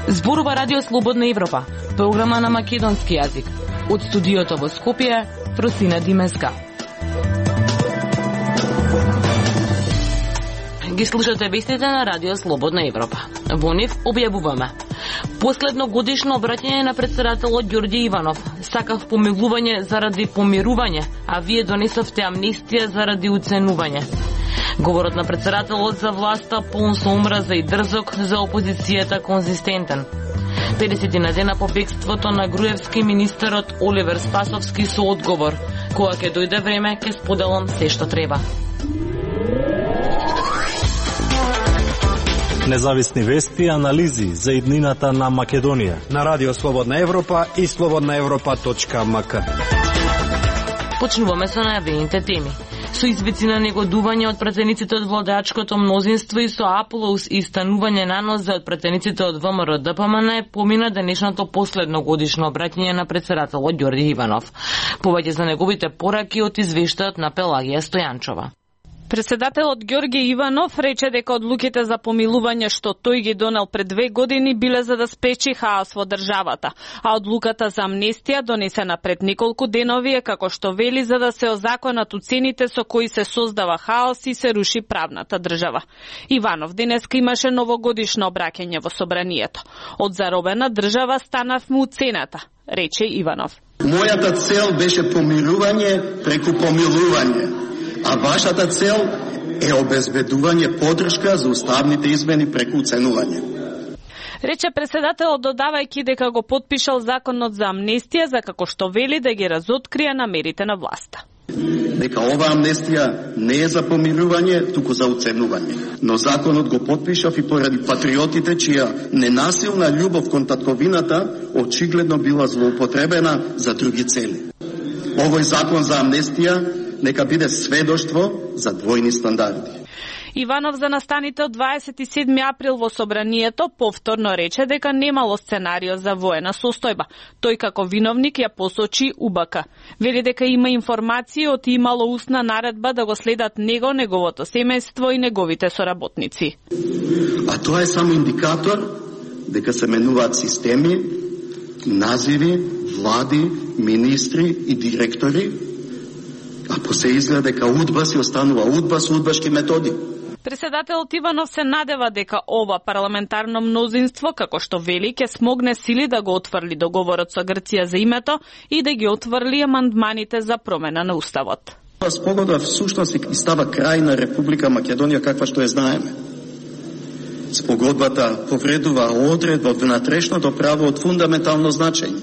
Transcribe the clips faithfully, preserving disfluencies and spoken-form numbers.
Зборува Радио Слободна Европа, програма на македонски јазик. Од студиото во Скопје, Фросина Димеска. Ги слушате вестите на Радио Слободна Европа. Во нив објавуваме: последно годишно обраќање на претседателот Ѓорѓе Иванов. Сакав помилување заради помирување, а вие донесовте амнестија заради уценување. Говорот на претседателот за власта полн со омраза и дрзок, за опозицијата конзистентен. педесетина дена по бегството на Груевски, министерот Оливер Спасовски со одговор: кога ќе дојде време, ќе споделам се што треба. Независни вести и анализи за иднината на Македонија на Радио Слободна Европа и слободна европа точка ем ка. Почнуваме со најавените теми. Со извици на негодување од пратениците од владачкото мнозинство и со аплауз и станување на нозе од пратениците од Вэ Ем Р Д П М Н помина денешното последно годишно обраќање на претседателот Ѓорѓе Иванов. Повеќе за неговите пораки од извештајот на Пелагија Стојанчова. Председателот Ѓорѓе Иванов рече дека одлуките за помилување што тој ги донел пред две години биле за да спречи хаос во државата, а одлуката за амнестија донесена пред неколку денови е, како што вели, за да се озаконат уцените со кои се создава хаос и се руши правната држава. Иванов денеска имаше новогодишно обраќање во собранието. Од заробена држава станавме уцената, рече Иванов. Мојата цел беше помирување преку помилување, а вашата цел е обезбедување поддршка за уставните измени преку уценување. Рече председателот, додавајќи дека го потпишал законот за амнестија, за како што вели да ги разоткрие намерите на власта. Дека ова амнестија не е за помирување, туку за уценување. Но законот го потпишав и поради патриотите чија ненасилна љубов кон татковината очигледно била злоупотребена за други цели. Овој закон за амнестија нека биде сведоштво за двојни стандарди. Иванов за настаните од дваесет и седми април во собранието повторно рече дека немало сценарио за воена состојба. Тој како виновник ја посочи У Б К. Вели дека има информации од имало устна наредба да го следат него, неговото семејство и неговите соработници. А тоа е само индикатор дека се менуваат системи, називи, влади, министри и директори, а по се изгледа дека удба си останува удба со удбашки методи. Председателот Иванов се надева дека ова парламентарно мнозинство, како што вели, ќе смогне сили да го отврли договорот со Грција за името и да ги отврли амандманите за промена на уставот. Спогодба всушност и става крај на Република Македонија каква што ја знаеме. Спогодбата повредува одредба од внатрешното право од фундаментално значење.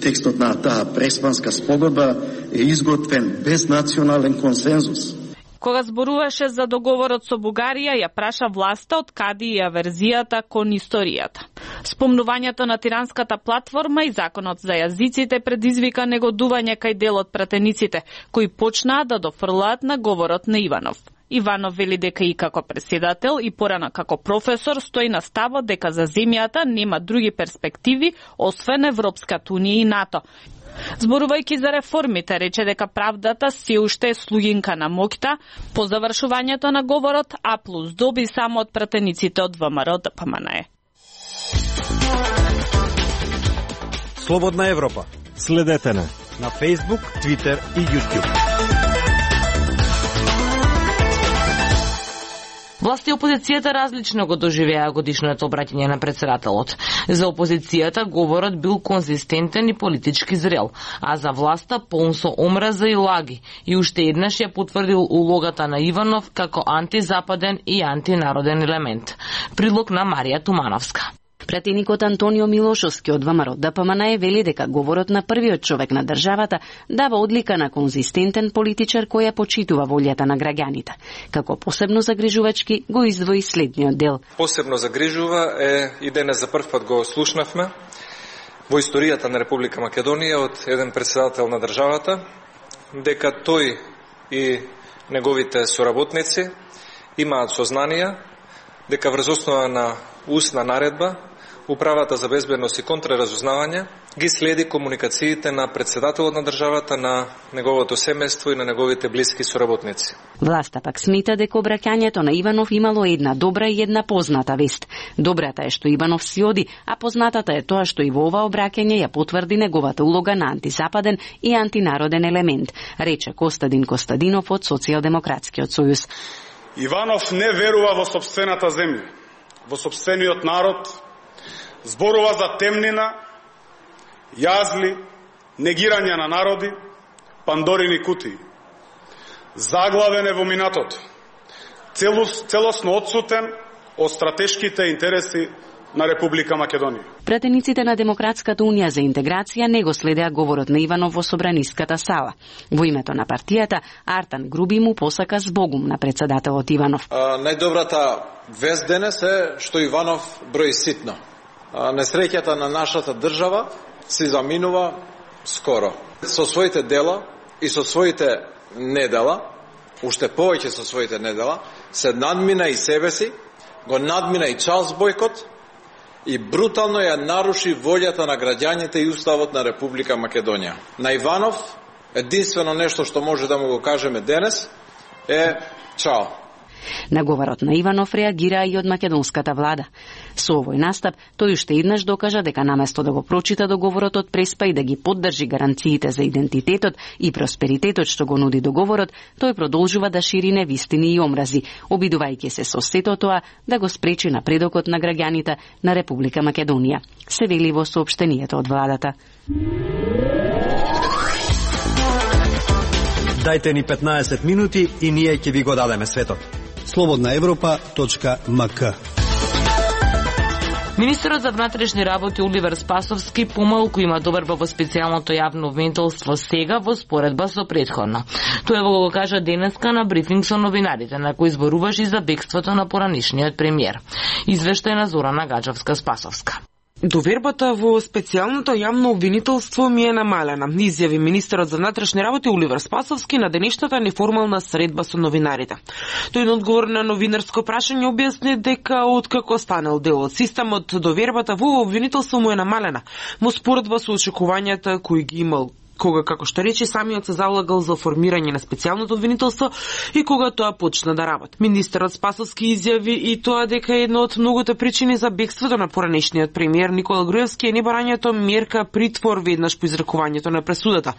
Текстот на таа преспанска спогодба е изготвен без национален консензус. Кога зборуваше за договорот со Бугарија, ја праша власта од каде ја верзијата кон историјата. Спомнувањето на тиранската платформа и законот за јазиците предизвика негодување кај дел од пратениците, кои почнаа да дофрлаат на говорот на Иванов. Иванов вели дека и како председател и порано како професор стои на ставот дека за земјата нема други перспективи освен Европската унија и НАТО. Зборувајќи за реформите, рече дека правдата се уште е слугинка на моќта. По завршувањето на говорот, А плюс доби само од пратениците од Вэ Ем Р Д П М Н. Слободна Европа. Следете не на Facebook, Twitter и YouTube. Власт и опозицијата различно го доживеа годишното обраќање на претседателот. За опозицијата говорот бил конзистентен и политички зрел, а за власта полн со омраза и лаги, и уште еднаш ја потврдил улогата на Иванов како антизападен и антинароден елемент. Прилог на Марија Тумановска. Пратеникот Антонио Милошовски од Вэ Ем Р Д П М Н вели дека говорот на првиот човек на државата дава одлика на конзистентен политичар кој ја почитува волјата на граѓаните. Како посебно загрижувачки го издвои следниот дел. Посебно загрижува е и денес за прв пат го слушнавме во историјата на Република Македонија од еден претседател на државата дека тој и неговите соработници имаат сознанија дека врз основа на устна наредба Управата за безбедност и контраразузнавање ги следи комуникациите на председателот на државата, на неговото семејство и на неговите блиски соработници. Власта пак смета дека обраќањето на Иванов имало една добра и една позната вест. Добрата е што Иванов си оди, а познатата е тоа што и во ова обраќање ја потврди неговата улога на антизападен и антинароден елемент, рече Костадин Костадинов од Социјалдемократскиот сојуз. Иванов не верува во сопствената земја, во сопствениот народ, зборува за темнина, јазли, негирање на народи, пандорини кутии. Заглавен е во минатото, целосно отсутен од стратешките интереси на Република Македонија. Пратениците на Демократската унија за интеграција не го следеа говорот на Иванов во собраниската сала. Во името на партијата, Артан Груби му посака збогум на председателот Иванов. А, најдобрата вест денес е што Иванов брои ситно. А, несреќата на нашата држава се заминува скоро. Со своите дела и со своите недела, уште повеќе со своите недела, се надмина и себе си, го надмина и Чарлс Бојкот и брутално ја наруши волјата на граѓаните и уставот на Република Македонија. На Иванов единствено нешто што може да му го кажеме денес е чао. На говорот на Иванов реагира и од македонската влада. Со овој настап, тој уште еднаш докажа дека наместо да го прочита договорот од Преспа и да ги поддржи гаранциите за идентитетот и просперитетот што го нуди договорот, тој продолжува да шири невистини и омрази, обидувајќи се со сето тоа да го спречи напредокот на граѓаните на Република Македонија. Се вели во соопштението од владата. Дајте ни петнаесет минути и ние ќе ви го дадеме светот. слободна европа точка ем ка. Министерот за внатрешни работи Оливер Спасовски помалку има доверба во специјалното јавно обвинителство сега во споредба со претходно. Тоа го кажа денеска на брифинг со новинарите, на кој зборуваше за бегството на поранишниот премиер. Извештај на Зорана Гаджевска-Спасовска. Довербата во специјалното јавно обвинителство ми е намалена, изјави министерот за внатрешни работи Оливер Спасовски на денешната неформална средба со новинарите. Тој на одговор на новинарско прашање објасни дека откако станал дел од системот, довербата во обвинителство му е намалена, во споредба со очекувањата кои ги имал кога, како што рече, самиот се залагал за формирање на специјалното обвинителство и кога тоа почна да работи. Министерот Спасовски изјави и тоа дека една од многуте причини за бегството на поранешниот премиер Никола Груевски е небарањето мерка притвор веднаш по изрекувањето на пресудата.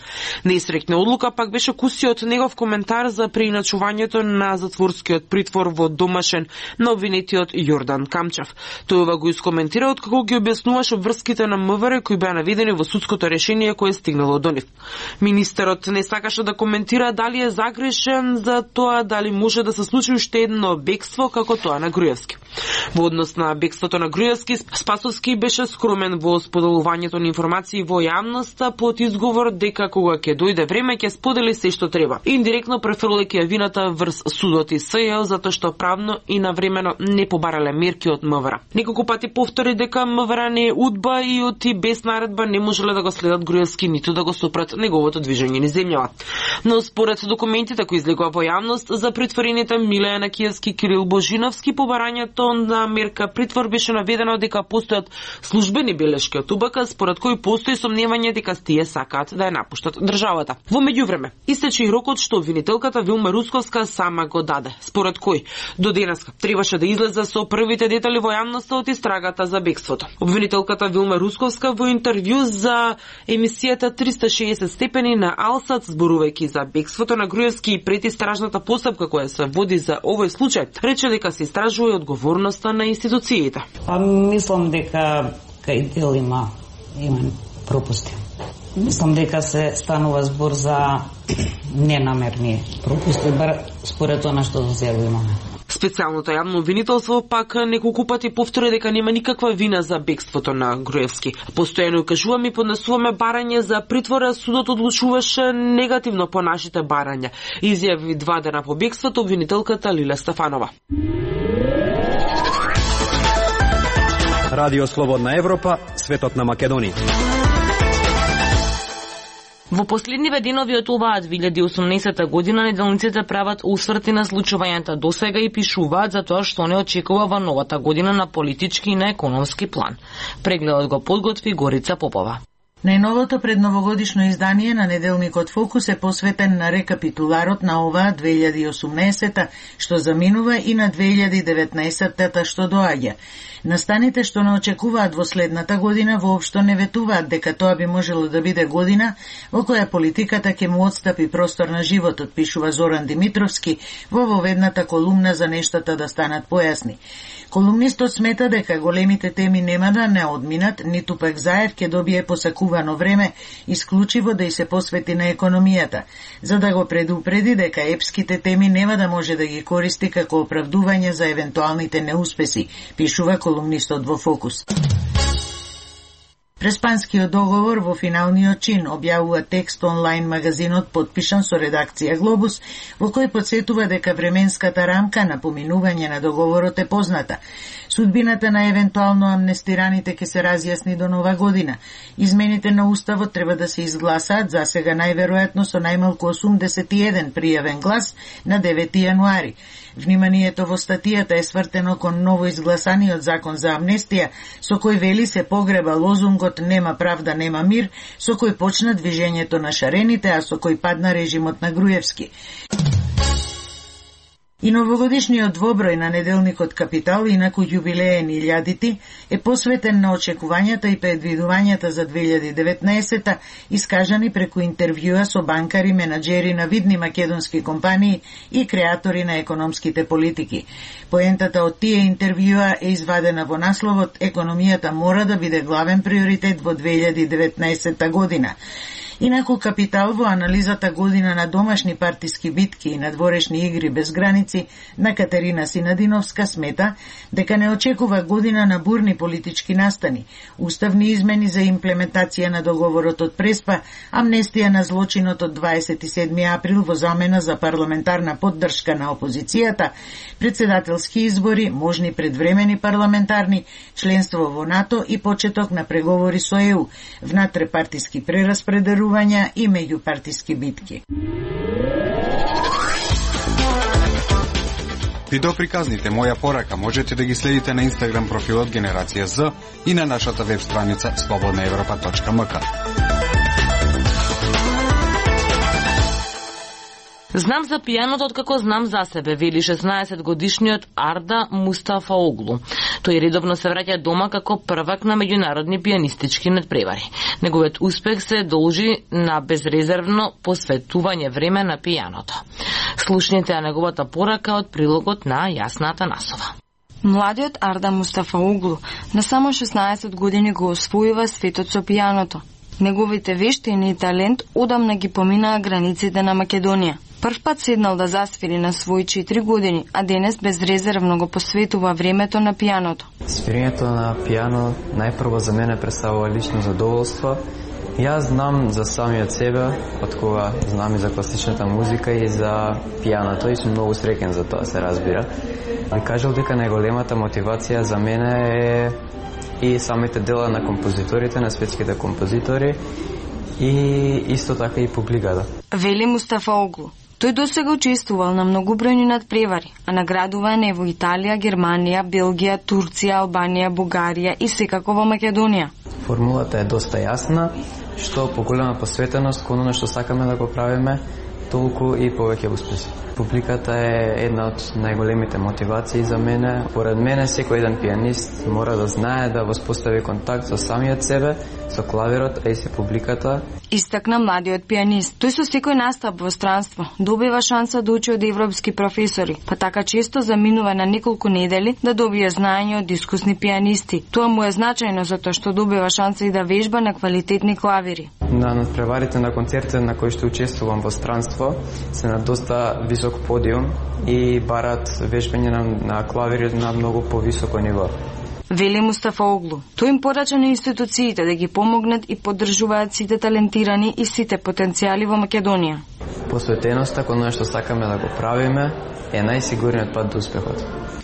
Неисрекна одлука пак беше кусиот негов коментар за преиначувањето на затворскиот притвор во домашен на обвинетиот Јордан Камчев. Тој ова го искоментира откако ги објаснуваше врските на МВР кои беа наведени во судското решение кое стигнало до нив. Министерот не сакаше да коментира дали е загрешен за тоа дали може да се случи уште едно бегство како тоа на Груевски. Во однос на бегството на Груевски, Спасовски беше скромен во споделувањето на информации во јавноста под изговор дека кога ќе дојде време ќе сподели се што треба. Индиректно префрлајќи вината врз судот и СЈ затоа што правно и навремено не побарале мерки од МВР. Неколку пати повтори дека МВР не е удба и оти без наредба не можеле да го следат Груевски ниту да го сопрат неговото движење низ земјава. Но според документите кои излегува во јавност за притворените Миле Јанакиевски и Кирил Божиновски, побарањето на мерка притвор беше наведено дека постојат службени белешки од УБК според кои постои сомневање дека тие сакаат да ја напуштат државата. Во меѓувреме истече и рокот што обвинителката Вилма Русковска сама го даде, според кој до денеска требаше да излезе со првите детали во јавноста од истрагата за бегството. Обвинителката Вилма Русковска во интервју за емисијата триста и шеесет степени на Алсат, зборувајќи за бегството на Груевски и предистражната постапка која се води за овој случај, рече дека се истражува и одговорноста на институциите. Па мислам дека кај дел има има пропусти. Мислам дека се станува збор за ненамерни пропусти, бар според тоа што до сега имаме. Специјалното јавно обвинителство пак неколку пати повтори дека нема никаква вина за бегството на Груевски. Постојано кажуваме и поднесуваме барање за притвора, судот одлучуваше негативно по нашите барања. Изјави два дена по бегството обвинителката Лиле Стефанова. Радио Слободна Европа, светот на Македонија. Во последниве денови од оваа две илјади и осумнаесета година неделниците прават усврти на случувањата досега и пишуваат за тоа што не очекува во новата година на политички и на економски план. Прегледот го подготви Горица Попова. Најновото предновогодишно издание на неделникот Фокус е посветен на рекапитуларот на оваа две илјади и осумнаесета што заминува и на две илјади и деветнаесета што доаѓа. Настаните што не очекуваат во следната година воопшто не ветуваат дека тоа би можело да биде година во која политиката ќе му отстапи простор на животот, пишува Зоран Димитровски во воведната колумна за нештата да станат појасни. Колумнистот смета дека големите теми нема да не одминат, ниту пак Заев ќе добие посакувано време исклучиво да и се посвети на економијата, за да го предупреди дека епските теми нема да може да ги користи како оправдување за евентуалните неуспеси, пишува колумнистот во Фокус. Преспанскиот договор во финалниот чин, објавува текст онлайн магазинот подпишан со редакција Глобус, во кој подсетува дека временската рамка на поминување на договорот е позната. Судбината на евентуално амнестираните ќе се разјасни до нова година. Измените на уставот треба да се изгласаат за сега најверојатно со најмалку осумдесет и еден пријавен глас на девети јануари. Вниманието во статијата е свртено кон ново изгласаниот закон за амнестија, со кој вели се погреба лозунгот "Нема правда, нема мир", со кој почна движењето на шарените, а со кој падна режимот на Груевски. И новогодишниот двоброј на неделникот Капитал, инаку јубилеен илјадити, е посветен на очекувањата и предвидувањата за две илјади и деветнаесета, искажани преку интервјуа со банкари, менаџери на видни македонски компании и креатори на економските политики. Поентата од тие интервјуа е извадена во насловот "Економијата мора да биде главен приоритет во две илјади и деветнаесета година". Инаку Капитал во анализата година на домашни партиски битки и надворешни игри без граници на Катерина Синадиновска смета дека не очекува година на бурни политички настани, уставни измени за имплементација на договорот од Преспа, амнестија на злочинот од дваесет и седми април во замена за парламентарна поддршка на опозицијата, председателски избори, можни предвремени парламентарни, членство во НАТО и почеток на преговори со Е У, внатрепартиски прераспределувања и меѓупартиски битки. Видеоприказните Моја порака можете да ги следите на Инстаграм профилот Генерација З и на нашата веб страница слободна европа точка ем ка. Знам за пијаното откако знам за себе, вели шеснаесет годишниот Арда Мустафаоглу. Тој редовно се враќа дома како првак на меѓународни пијанистички надпревари. Неговиот успех се должи на безрезервно посветување време на пијаното. Слушнете ја неговата порака од прилогот на Јасна Атанасова. Младиот Арда Мустафаоглу на само шеснаесет години го освојува светот со пијаното. Неговите вештини и талент одамна ги поминаа границите на Македонија. Прв пат седнал да засвири на своји четири години, а денес безрезервно го посветува времето на пијаното. Свирењето на пијано најпрво за мене представува лично задоволство. Јас знам за самиот себе, од кога знам и за класичната музика и за пијаното и сум многу среќен за тоа, се разбира. Би кажал дека најголемата мотивација за мене е и самите дела на композиторите, на светските композитори и исто така и публиката. Вели Мустафаоглу. Тој досега учествувал на многобројни надпревари, а наградуван е во Италија, Германија, Белгија, Турција, Албанија, Бугарија и секако во Македонија. Формулата е доста јасна, што поголема посветеност кон она што сакаме да го правиме, толку и повеќе успеси. Публиката е една од најголемите мотивации за мене. Поред мене, секој еден пијанист мора да знае да воспостави контакт со самиот себе, со клавирот, а и со публиката. Истакна младиот пијанист. Тој со секој настап во странство добива шанса да учи од европски професори, па така често заминува на неколку недели да добие знаење од искусни пијанисти. Тоа му е значајно затоа што добива шанса и да вежба на квалитетни клавири. На надпреварите на концертите на кои што учествувам во странство се на доста висок подиум и барат вежбање на, на клавири на многу повисоко ниво. Вели Мустафаоглу. Тој им порача на институциите да ги помогнат и поддржуваат сите талентирани и сите потенцијали во Македонија. Посветеноста кон она што сакаме да го правиме е најсигурниот пат до успехот.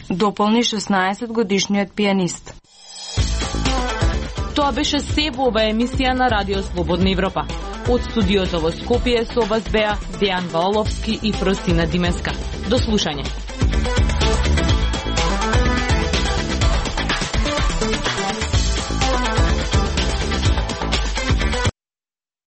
Дополни шеснаесет годишниот пијанист. Тоа беше се во оваа емисија на Радио Слободна Европа. Од студиото во Скопје со вас беа Дејан Ваоловски и Простина Димеска. До слушање.